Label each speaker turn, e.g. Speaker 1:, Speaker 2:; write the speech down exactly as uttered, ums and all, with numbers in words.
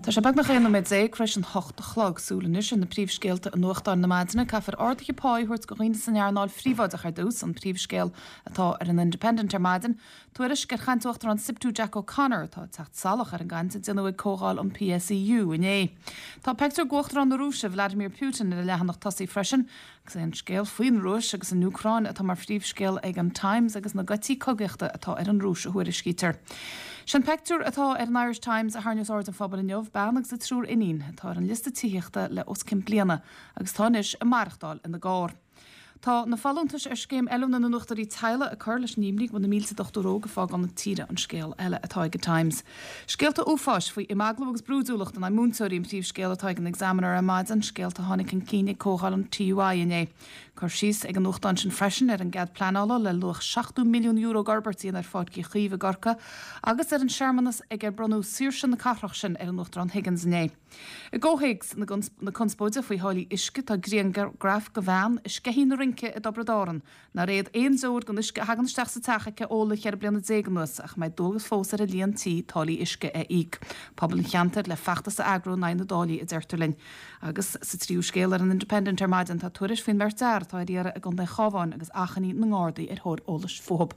Speaker 1: Tá sé beagnach aon nóiméad déag tar éis an hocht a chlog súil anois ar na príomhscéalta i nuachtáin na maidine caithfear arduithe pá a thabhairt do dhaoine san earnáil phríobháideach ar dtús an príomhscéal atá ar an Independent ar maidin, tuairisc ar chaint Uachtarán SIPTU Jack O'Connor atá ag teacht salach ar an gcaint a déanadh ag comhdháil an PSEU inné. Tá pictiúr d'Uachtarán na Rúise Vladimir Putin ar an leathanach tosaigh freisin, agus é an scéal faoin Rúis agus an Úcráin atá mar phríomhscéal ag an Times agus na geataí cogaíochta atá ar an Rúis a thuairiscítear. Sin pictiúr atá ar an Irish Times a tharraingíos aird an phobail inniu bean agus a triúr iníon atá ar an liosta tithíochta le os cionn bliana agus tá anois ag maireachtáil ina gcarr. Tá na folúntais ar scéim oiliúna na ndochtúirí teaghlaigh ag cur leis an imní go bhfuil na mílte dochtúir óg ag fágáil na tíre an scéal eile atá ag an Times. Scéalta uafáis faoi imeaglú agus brúidiúlacht in aghaidh múinteoirí an príomhscéal atá ag an Examiner ar maidin scéalta a tháinig chun cinn ag comhdháil an TUI inné. Cur síos ag an nuachtán sin freisin ar an gcead pleanála le luach seachtó milliún euro d'fhorbairt ar Pháirc Uí Chaoimh i gCorcaigh agus ar an searmanas ag ar bronnadh saoirse na cathrach sin ar an Uachtarán Higgins inné. I gcomhthéacs na conspóide faoi tháillí uisce tá grianghraf de bhean i Sceithín na Rince i dTiobraid Árann, nár fhéad aon deoir den uisce a thagann isteach sa teach aici a ól le ceithre bliana déag anuas ach mbeidh dualgas fós ar a líon tí táillí uisce a íoc. Pobal an cheantair le feachtas a eagrú in aghaidh na dtáillí a deirtear linn. Agus sa tríú scéal ar an Independent ar maidin tá tuairisc faoin mbeirt fhear atá ar iarraidh i gContae an Chabháin agus achainí na nGardaí ar thóir eolais fúthu.